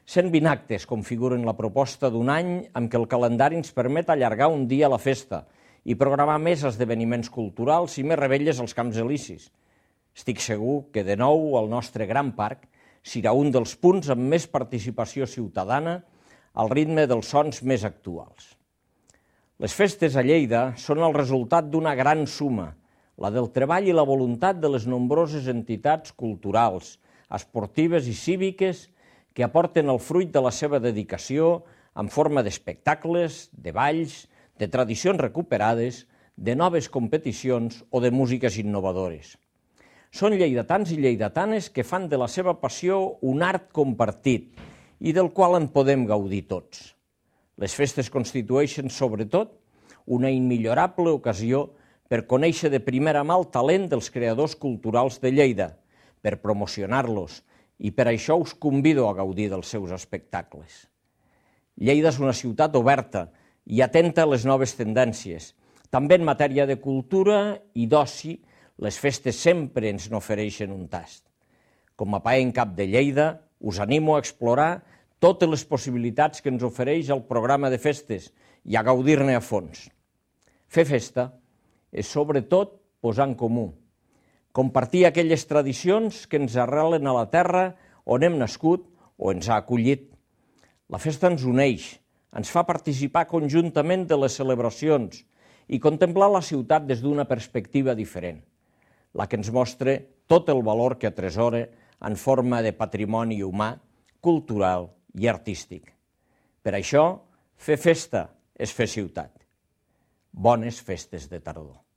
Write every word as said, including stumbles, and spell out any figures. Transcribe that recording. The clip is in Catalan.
cent vint actes configuren la proposta d'un any amb què el calendari ens permet allargar un dia la festa i programar més esdeveniments culturals i més revetlles als Camps Elisis. Estic segur que de nou el nostre gran parc serà un dels punts amb més participació ciutadana al ritme dels sons més actuals. Les festes a Lleida són el resultat d'una gran suma, la del treball i la voluntat de les nombroses entitats culturals, esportives i cíviques que aporten el fruit de la seva dedicació en forma d'espectacles, de balls, de tradicions recuperades, de noves competicions o de músiques innovadores. Són lleidatans i lleidatanes que fan de la seva passió un art compartit i del qual en podem gaudir tots. Les festes constitueixen, sobretot, una immillorable ocasió per conèixer de primera mà el talent dels creadors culturals de Lleida, per promocionar-los, i per això us convido a gaudir dels seus espectacles. Lleida és una ciutat oberta i atenta a les noves tendències. També en matèria de cultura i d'oci, les festes sempre ens n'ofereixen un tast. Com a paent cap de Lleida, us animo a explorar totes les possibilitats que ens ofereix el programa de festes i a gaudir-ne a fons. Fer festa és sobretot posar en comú, compartir aquelles tradicions que ens arrelen a la terra on hem nascut o ens ha acollit. La festa ens uneix, ens fa participar conjuntament de les celebracions i contemplar la ciutat des d'una perspectiva diferent, la que ens mostra tot el valor que atresora en forma de patrimoni humà, cultural i artístic. Per això, fer festa és fer ciutat. Bones festes de tardor.